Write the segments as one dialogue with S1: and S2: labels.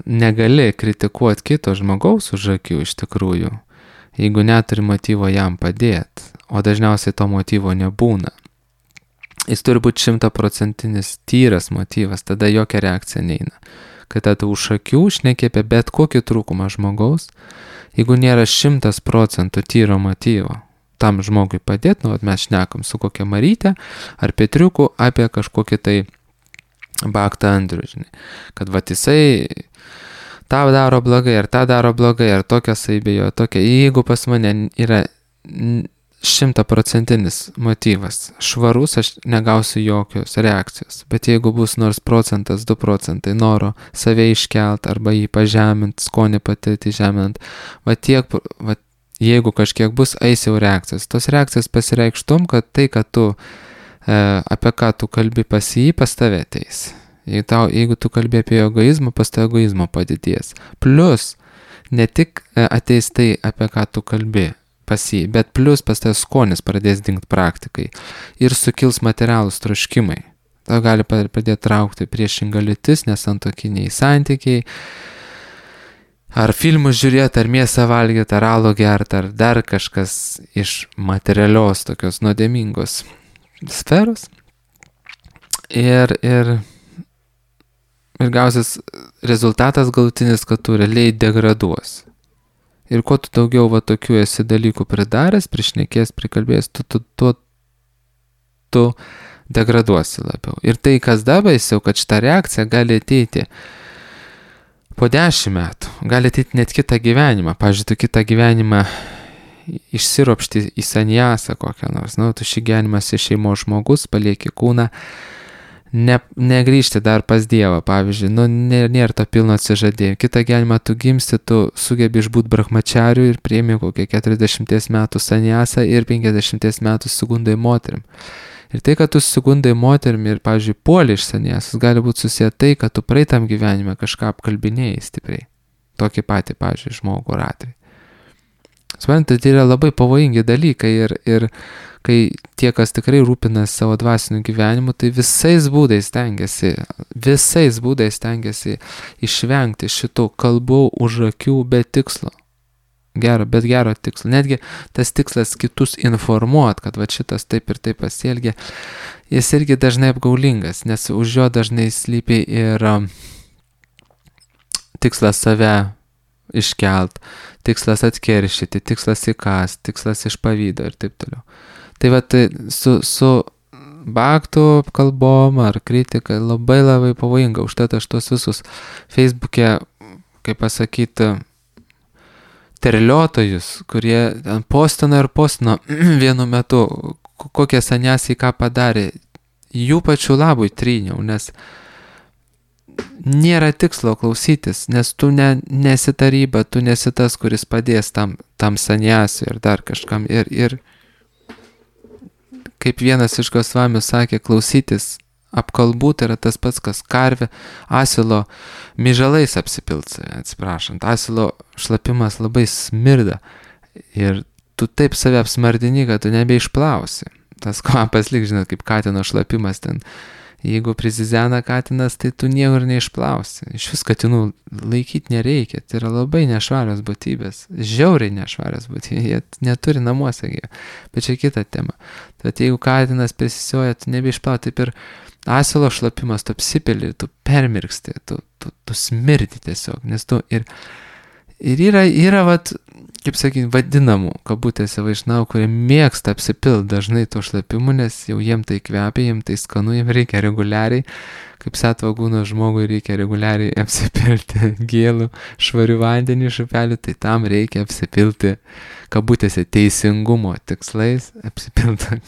S1: negali kritikuoti kito žmogaus už akių iš tikrųjų, jeigu neturi motyvo jam padėti, o dažniausiai to motyvo nebūna. Jis turi būti 100% tyras motyvas, tada jokia reakcija neina. Kai tada už akių šneki apie bet kokį trūkumą žmogaus, jeigu nėra 100% tyro motyvo tam žmogui padėti, mes šnekam su kokia Marytė ar Petriuku apie kažkokį tai Baktą Andrių, žinai, kad jisai tą daro blogai, ar tą daro blogai, ar tokia saibėjo, tokia, jeigu pas mane yra 100% motyvas švarus, aš negausiu jokios reakcijos, bet jeigu bus nors 1%, 2% noro save iškelt arba jį pažemint, skonį patirti žemint, jeigu kažkiek bus, eis jau reakcijas. Tos reakcijas pasireikš tom, kad tai, kad tu apie ką tu kalbi pas jį, pas tave ateis. Jeigu tu kalbi apie egoizmą, pas tave egoizmo padidės. Plus, ne tik ateis tai, apie ką tu kalbi pas jį, bet plus pas tave skonis pradės dingti praktikai ir sukils materialūs troškimai. Tau gali pradėti traukti priešingą lytis, nesantokiniai santykiai, ar filmus žiūrėti, ar mėsą valgyti, ar alų gerti, ar dar kažkas iš materialios tokios nuodėmingos sferos. Ir gausis rezultatas galutinis, kad tu realiai degraduos. Ir kuo tu daugiau tokių esi dalykų pridaręs, prišnekės, prikalbės, tu degraduosi labiau. Ir tai, kas dabaisiau, kad šita reakcija gali ateiti po 10 metų, gali ateiti net kitą gyvenimą. Pavyzdžiui, tu kitą gyvenimą išsiropšti į sanjasą kokią nors, tu šį gyvenimą esi šeimos žmogus, palieki kūną, negrįžti dar pas Dievą, pavyzdžiui, nėra to pilno atsižadėjimo. Kitą gyvenimą tu gimsti, tu sugebi išbūt brahmačariu ir priimi kokią 40 metų sanjasą ir 50 metų sugundai moterim. Ir tai, kad tu sugundai moterim ir, pavyzdžiui, puoli iš sanjasos, gali būti susiję tai, kad tu praeitam gyvenime kažką apkalbinėjai stipriai. Tokį patį, pavyzdžiui, žmogų ar atvejį. Suprantate, tai yra labai pavojingi dalykai ir kai tie, kas tikrai rūpinasi savo dvasiniu gyvenimu, tai visais būdais stengiasi išvengti šitų kalbų už akių be tikslo. Bet gero tikslo. Netgi tas tikslas kitus informuot, kad šitas taip ir taip pasielgia, jis irgi dažnai apgaulingas, nes už jo dažnai slypi ir tikslas save iškelt, tikslas atkeršyti, tikslas įkast, tikslas iš pavydo ir taip toliau. Tai su baktų kalbom ar kritika labai labai pavojinga. Užtat aš tos visus Facebook'e, kaip pasakyti, terliotojus, kurie postino vienu metu, kokie sanjasiai ką padarė, jų pačių labui tryniau, nes nėra tikslo klausytis, nes tu nesi taryba, tu nesi tas, kuris padės tam sanjasiui ir dar kažkam. Ir kaip vienas iš Gosvamių sakė, klausytis apkalbų tai yra tas pats, kas karvė asilo myžalais apsipilts, atsiprašant. Asilo šlapimas labai smirda ir tu taip save apsmardini, kad tu nebeišplausi. Tas kvapas lyg, žinot, kaip katino šlapimas ten. Jeigu prizizena katinas, tai tu niekur neišplausi. Iš vis katinų laikyti nereikia. Tai yra labai nešvarios būtybės. Žiauriai nešvarios būtybės. Jie neturi namuose. Bet čia kita tema. Tad jeigu katinas prisisioja, tu nebeišplausi. Taip ir asilo šlapimas, tu apsipeli, tu permirksti, tu smirdi tiesiog. Nes tu ir yra kaip sakyti, vadinamų, kabutėse vaišnau, kurie mėgsta apsipilt dažnai to šlapimu, nes jau jiem tai kvepia, jiem tai skanu, jiem reikia reguliariai, kaip satvagūno žmogui reikia reguliariai apsipilti gėlų, švarių vandenį iš upelių, tai tam reikia apsipilti, kabutėse, teisingumo tikslais, apsipilti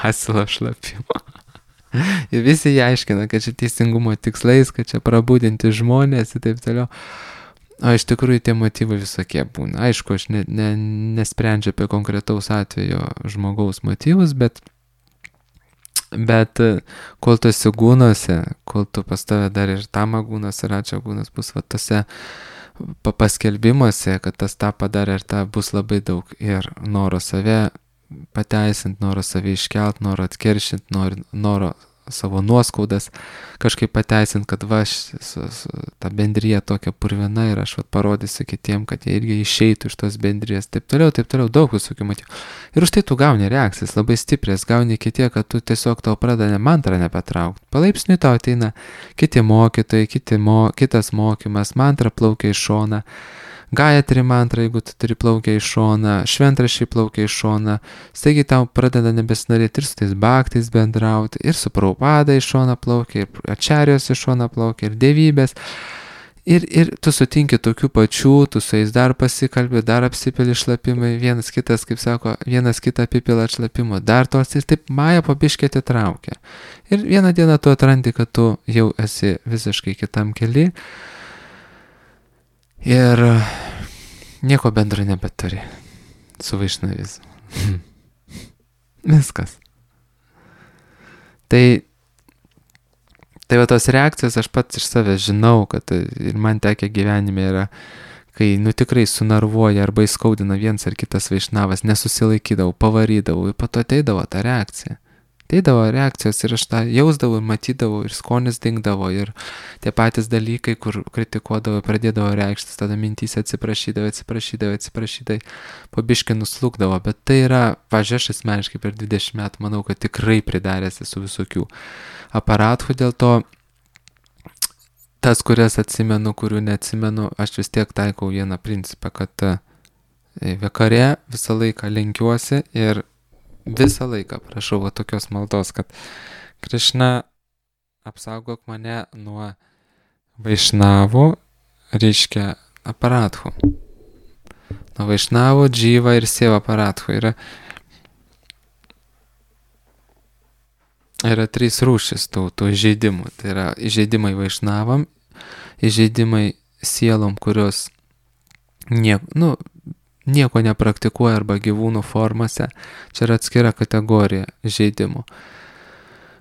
S1: asilo šlapimo. Ir visi jie aiškina, kad čia teisingumo tikslais, kad čia prabudinti žmonės ir taip toliau. O iš tikrųjų tie motyvai visokie būna. Aišku, aš nesprendžiu apie konkretaus atvejo žmogaus motyvus, bet kol tu esi gūnuose, kol tu pas tave dar ir tamagūnas ir ačiagūnas bus tose paskelbimuose, kad tas tą padarė ir tą bus labai daug ir noro save pateisint, noro save iškelt, noro atkeršint, noro savo nuoskaudas kažkaip pateisint, kad ta bendrija tokia purvina ir aš parodysiu kitiem, kad jie irgi išeitų iš tos bendrijos, taip toliau, daug visokių motyvų. Ir už tai tu gauni reakcijas labai stiprias, gauni iki tiek, kad tu tiesiog tau pradeda mantrą nepatraukti. Palaipsniui tau ateina kiti mokytojai, kitas mokymas, mantra plaukia iš šona. Gayatri mantra, jeigu tu turi plaukia iš šona, šventraščiai plaukia iš šona, staigi tau pradeda nebesinorėti ir su tais bhaktais bendrauti, ir su Prabhupada iš šona plaukia, ir ačarijos iš šona plaukia, ir dievybės. Ir tu sutinki tokių pačių, tu su jais dar pasikalbi, dar apsipili šlapimai, vienas kitas, kaip sako, vienas kitą apipila šlapimo, dar tos ir taip maja po biškį atitraukia. Ir vieną dieną tu atrandi, kad tu jau esi visiškai kitam kely. Ir nieko bendro nebeturi su vaišnavizmu. Viskas. Tai va tos reakcijos aš pats iš savęs žinau, kad ir man tekę gyvenime yra, kai tikrai sunarvuoja arba įskaudina vienas ar kitas vaišnavas, nesusilaikydavau, pavarydavau ir po to ateidavo ta reakcija. Ateidavo reakcijos ir aš tą jausdavau ir matydavau ir skonis dingdavo ir tie patys dalykai, kur kritikuodavo, pradėdavo reikštis, tada mintys atsiprašydavo, po biškį nuslūkdavo, bet tai yra, pažiūrėjau, aš asmeniškai per 20 metų manau, kad tikrai pridaręs esu visokių aparatų, dėl to tas, kurias atsimenu, kurių neatsimenu, aš vis tiek taikau vieną principą, kad vakare visą laiką lenkiuosi ir visą laiką prašau tokios maldos, kad Krišna apsaugok mane nuo vaišnavų, reiškia aparatų. Nuo vaišnavų, džyva ir sieva aparatų. Yra 3 rūšis tų įžeidimų. Tai yra įžeidimai vaišnavam, įžeidimai sielom, kurios nieko nepraktikuoja arba gyvūnų formose. Čia yra atskira kategorija žaidimų.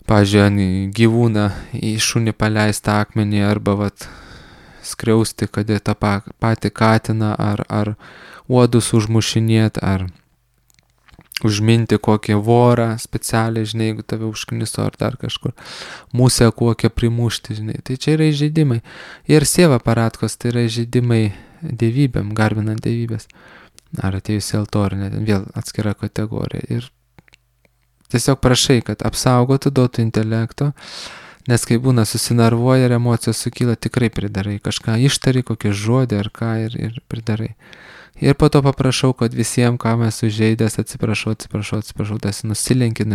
S1: Pavyzdžiui, gyvūną į šunį paleistą akmenį arba skriausti, kad tą patį katiną ar uodus užmušinėti, ar užminti kokį vorą specialiai, žinai, jeigu tave užkniso ar dar kažkur, musę kokią primušti, žinai. Tai čia yra įžeidimai. Ir sieva aparatkos, tai yra įžeidimai dievybėm, garbinant dievybės. Ar atėjus į altorinę, vėl atskira kategorija. Ir tiesiog prašai, kad apsaugotų, duotų intelekto, nes kai būna susinarvuoja ir emocijos sukyla, tikrai pridarai. Kažką ištari, kokį žodį ar ką ir pridarai. Ir po to paprašau, kad visiems, ką mes sužeidęs, atsiprašau, tas nusilenki,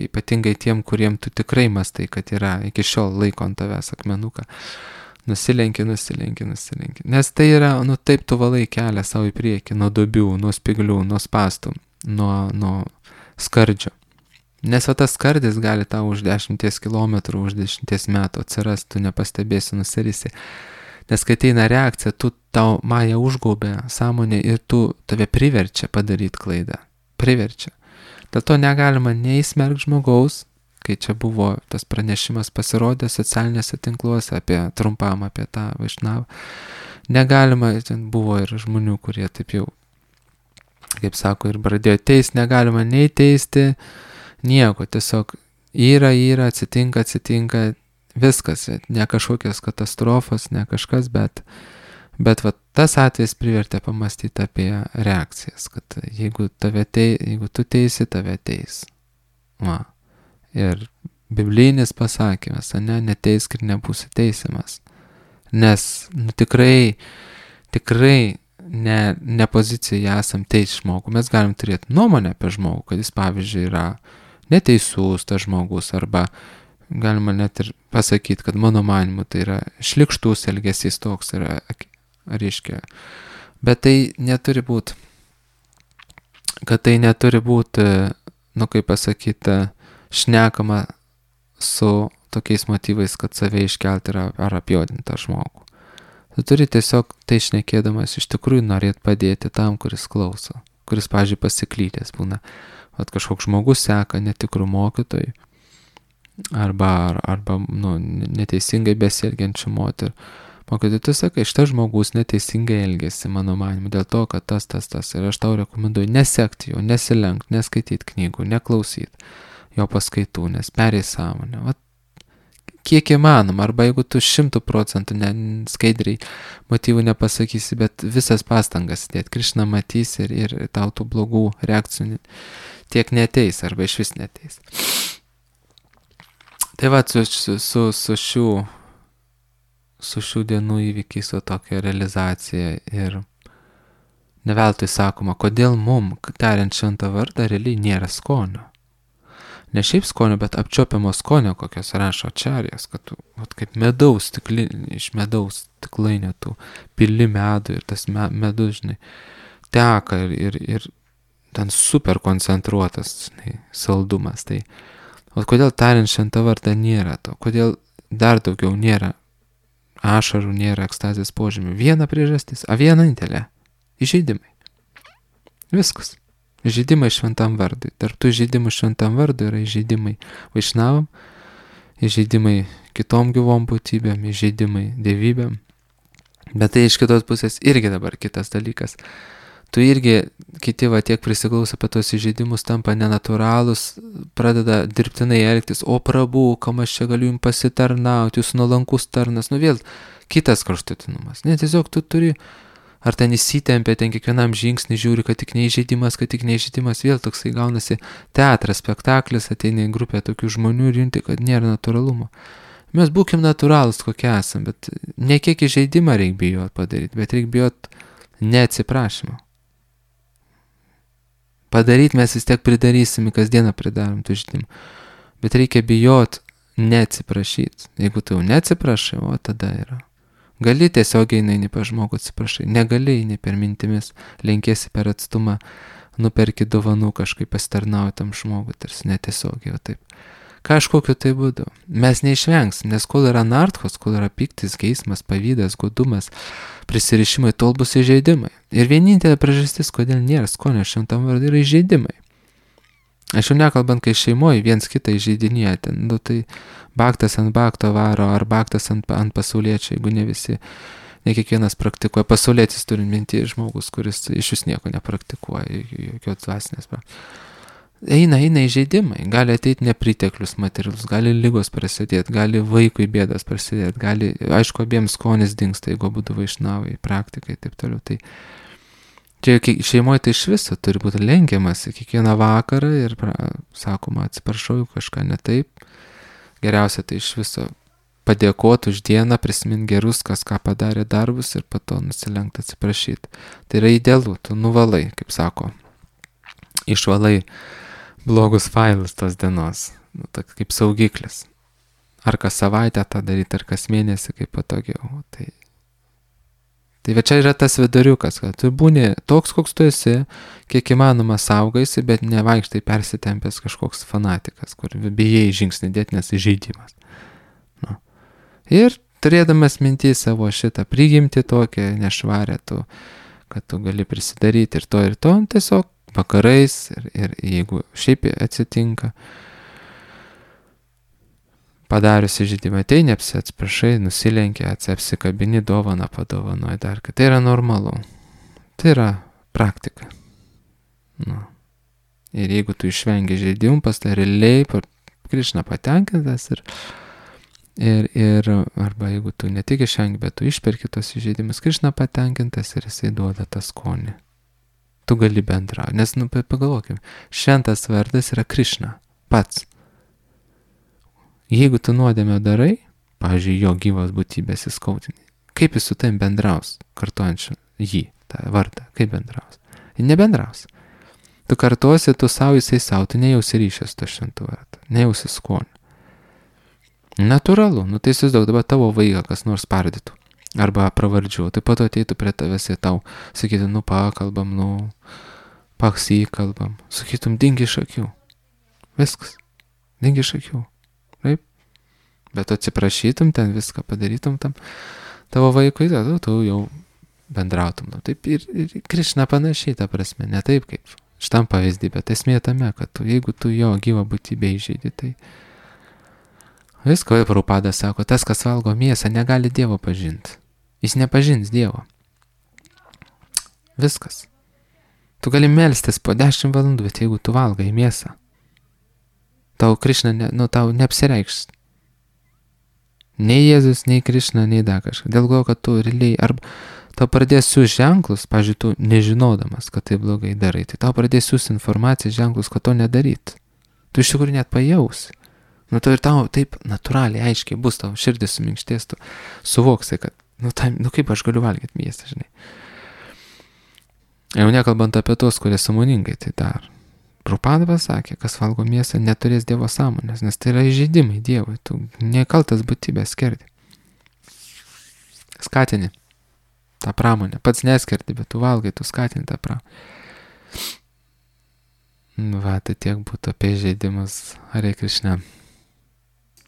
S1: ypatingai tiem, kuriem tu tikrai mastai, kad yra iki šiol laiko ant tavęs akmenuką. Nusilenki. Nes tai yra, taip tu valai kelią savo į priekį, nuo duobių, nuo spiglių, nuo spastų, nuo skardžio. Nes tas skardis gali tau už 10 km, už 10 metų atsirast, tu nepastebėsi, nusirisi. Nes kai ateina reakcija, tau maja užgaubė sąmonė ir tave priverčia padaryti klaidą. Priverčia. Dėl to negalima neįsmerkti žmogaus, kai čia buvo tas pranešimas pasirodė socialinėse tinkluose trumpam apie tą vaišnavą. Negalima, ten buvo ir žmonių, kurie taip jau, kaip sako, ir pradėjo teisti, negalima nei teisti, nieko, tiesiog yra, atsitinka, viskas, ne kažkokios katastrofos, ne kažkas, bet tas atvejs privertė pamastyti apie reakcijas, kad jeigu tu teisi, tave teis. Ir biblinis pasakymas, neteisk ir nebūsi teisiamas. Nes tikrai ne pozicijoje esam teisti žmogų. Mes galim turėti nuomonę apie žmogų, kad jis, pavyzdžiui, yra neteisus tas žmogus, arba galima net ir pasakyti, kad mano manimu tai yra šlykštus elgesys toks yra, reiškia. Bet tai neturi būti, kaip pasakyti, šnekama su tokiais motyvais, kad save iškelti ar apjuodinti tą žmogų. Tu turi tiesiog tai šnekėdamas iš tikrųjų norėti padėti tam, kuris klauso, kuris, pavyzdžiui, pasiklydęs būna. Kažkoks žmogus seka netikrų mokytojų arba neteisingai besielgiančių moterų. Mokytojai, tu sakai, šitas žmogus neteisingai elgėsi, mano manimu, dėl to, kad tas. Ir aš tau rekomenduoju nesekti jo, nesilenkti, neskaityti knygų, neklausyti jo paskaitų, nes perėjai sąmonę. kiek įmanoma, arba jeigu tu 100% skaidriai motyvų nepasakysi, bet visas pastangas dėt, Krišna matys ir tau tų blogų reakcijų tiek neteis, arba iš vis neteis. Tai va, su šių dienų įvykiais, o tokia realizacija ir ne veltui sakoma, kodėl mum, tariant šventą vardą, realiai nėra skonio. Ne šiaip skonio, bet apčiopiamo skonio, kokios rašo Ačarjas, kad tu, kaip medaus iš medaus stiklainio tu pili medų ir tas medus, žinai, teka ir ten super koncentruotas, žinai, saldumas. Tai, o kodėl tariant šventą vardą nėra to? Kodėl dar daugiau nėra ašarų, nėra ekstazės požymių? Viena priežastis, vienintelė. Įžeidimai. Viskas. Įžeidimai šventam vardui. Tarp tų įžeidimų šventam vardui yra įžeidimai vaišnavam, įžeidimai kitom gyvom būtybėm, įžeidimai dievybėm. Bet tai iš kitos pusės irgi dabar kitas dalykas. Tu irgi, kiti tiek prisiklauso apie tos įžeidimus, tampa nenatūralūs, pradeda dirbtinai elgtis, o prabų, kam aš čia galiu jums pasitarnauti, jūs nuolankus tarnas, vėl kitas kraštutinumas. Ne, tiesiog tu turi ar ten įsitempia, ten kiekvienam žingsnį žiūri, kad tik neįžeidimas, vėl toksai gaunasi teatras, spektaklis, ateina į grupę tokių žmonių ir junti, kad nėra natūralumo. Mes būkim natūralus, kokie esam, bet ne kiek įžeidimą reikia bijot padaryti, bet reikia bijot neatsiprašymą. Padaryti mes vis tiek pridarysim, kasdieną pridarom tų įžeidimų, bet reikia bijot neatsiprašyti. Jeigu tu jau neatsiprašai, o tada yra. Gali tiesiog eini pa žmogų atsiprašai, negali eini per mintimis, lenkėsi per atstumą, nuperki dovanų kažkaip pasitarnauji tam žmogui, tarsi netiesiogiai, o taip. Kažkokiu tai būdu. Mes neišvengsim, nes kol yra nartkos, kol yra piktis, geismas, pavydas, godumas, prisirišimai, tol bus įžeidimai. Ir vienintelė priežastis, kodėl nėra skonio šventam vardui, yra įžeidimai. Aš jau nekalbant, kai šeimoje viens kitą įžeidinėja, ten, tai baktas ant bakto varo, ar baktas ant pasauliečio, jeigu ne visi, ne kiekvienas praktikuoja. Pasaulietis turi minti žmogus, kuris iš vis nieko nepraktikuoja, jokios dvasinės. Eina įžeidimai, gali ateiti nepriteklius materialus, gali lygos prasidėti, gali vaikui bėdas prasidėti, gali, aišku, abiems skonis dingsta, jeigu būtų vaišnavai, praktikai ir taip toliau. Tai čia šeimoje tai iš viso turi būti lenkiamasi kiekvieną vakarą ir sakoma, atsiprašau, kažką ne taip. Geriausia tai iš viso padėkoti už dieną, prisiminti gerus, kas ką padarė darbus ir po to nusilenkti atsiprašyti. Tai yra idealu, tu nuvalai, kaip sako, išvalai blogus failus tos dienos, kaip saugiklis. Ar kas savaitę tą daryti, ar kas mėnesį, kaip patogiau. Tai čia yra tas viduriukas, kad tu būni toks, koks tu esi, kiek įmanoma saugaisi, bet nevaikštai persitempęs kažkoks fanatikas, kur bijai žingsnį dėti, nes įžeidimas. Ir turėdamas mintį savo šitą prigimtį tokią nešvarę, kad tu gali prisidaryti ir to, tiesiog vakarais ir jeigu šiaip atsitinka, padarius įžeidimą, tai neapsiprašai, nusilenkia, apsikabini, dovaną padovanoji dar, kad tai yra normalu. Tai yra praktika. Ir jeigu tu išvengi įžeidimų, pas tai realiai Krišna patenkintas ir arba jeigu tu ne tik išvengi, bet tu išperki tos įžeidimus, Krišna patenkintas ir jisai duoda tą skonį. Tu gali bendrauti, nes, pagalvokim, šventas vardas yra Krišna, pats. Jeigu tu nuodėmę darai, pavyzdžiui, jo gyvos būtybės įskaudini, kaip jis su tavim bendraus, kartuojančiu jį, tą vardą, kaip bendraus? Jis nebendraus. Tu kartuosi, tu savo, jisai savo, tu nejausi ryšęs to šventų vardą, nejausi skonį. Natūralu, tai įsivaizduok, dabar tavo vaiką kas nors pardytų, arba pravardžiuo, tai po to ateitų prie tavęs ir tau, sakytų, pakalbam, paksikalbam, sakytum, dingi iš akių. Viskas, dingi iš akių. Taip? Bet atsiprašytum, ten viską padarytum tam tavo vaikui, tu jau bendrautum. Taip ir Krišna panašiai, ta prasme, ne taip kaip šitam pavyzdį, bet esmė tame, kad jeigu tu jo gyvą būtybę įžeidi, tai visko, Prabhupada sako, tas, kas valgo mėsą, negali Dievo pažinti. Jis nepažins Dievo. Viskas. Tu gali melstis po 10 valandų, bet jeigu tu valgai mėsą, tau Krišna, tau neapsireikš. Nei Jėzus, nei Krišna, nei dar kažką. Dėl to, kad tu realiai, arba tau pradės siūs ženklus, pavyzdžiui, tu nežinodamas, kad tai blogai darai, tai tau pradės siūs informaciją ženklus, kad to nedaryt. Tu iš tikrųjų net pajausi. Nu, to ir tau taip natūraliai, aiškiai bus, tau širdis suminkštės, tu suvoksi, kad, kaip aš galiu valgyti mėsą, žinai. Jau nekalbant apie tos, kurie sąmoningai tai daro. Prabhupada pasakė, kas valgo mėsą, neturės Dievo sąmonės, nes tai yra įžeidimai Dievui, tu nekaltas būtybės skerdi. Skatini tą pramonę, pats neskerdi, bet tu valgai, tu skatini tą pramonę. Va, tai tiek būtų apie įžeidimus. Hare Krishna.